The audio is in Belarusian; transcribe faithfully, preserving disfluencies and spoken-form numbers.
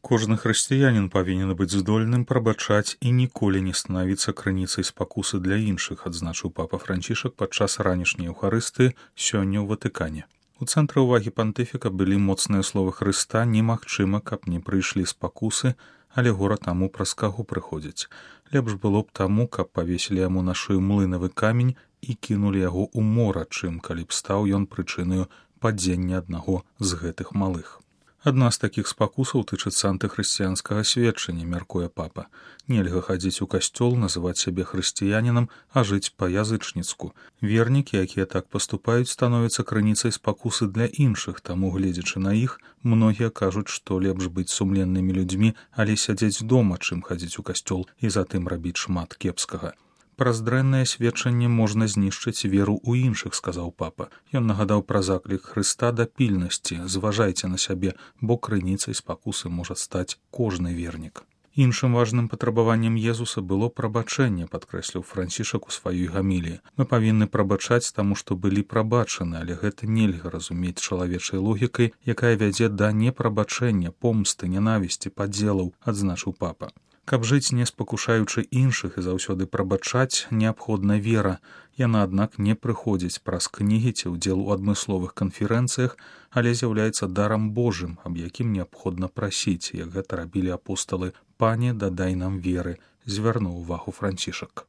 Кожны хрысціянін павінен быць здольным прабачаць і ніколі не станавіцца крыніцай спакусы для іншых, адзначыў папа Францішак падчас ранішняй еўхарысты сёння ў Ватыкане. У цэнтры ўвагі пантыфіка былі моцныя словы Хрыста: «Немагчыма, каб не прыйшлі спакусы, але гора таму, праз каго прыходзяць. Лепш было б таму, каб павесілі яму на шыю млынавы камень і кінулі яго ў мора, чым калі б стаў ён прычынаю падзення аднаго з гэтых малых». Адна з такіх спакусаў тычыцца антыхрысціянскага сведчання, мяркуе папа. Нельга хадзіць у касцёл, называць сябе хрысціянінам, а жыць па-язычніцку. Вернікі, якія так паступаюць, становяцца крыніцай спакусы для іншых, таму, гледзячы на іх, многія кажуць, што лепш быць сумленнымі людзьмі, але сядзець дома, чым хадзіць у касцёл і затым рабіць шмат кепскага. Праз дрэннае сведчанне можна знішчыць веру ў іншых, сказаў папа. Ён нагадаў пра заклік Хрыста да пільнасці: «Зважайце на сябе, бо крыніцай спакусы можа стаць кожны вернік». Іншым важным патрабаваннем Езуса было прабачэнне, падкрэсліў Францішак у сваёй гаміліі. Мы павінны прабачаць таму, што былі прабачаны, але гэта нельга разумець чалавечай логікай, якая вядзе да непрабачэння, помсты, нянавісці, падзелаў, адзначыў папа. Каб жыць не спакушаючы іншых і заўсёды прабачаць, неабходна вера. Яна, аднак, не прыходзіць праз кнігі ці ўдзел у адмысловых канферэнцыях, але з'яўляецца дарам Божым, аб якім неабходна прасіць, як гэта рабілі апосталы. «Пане, дадай нам веры», звярнуў увагу Францішак.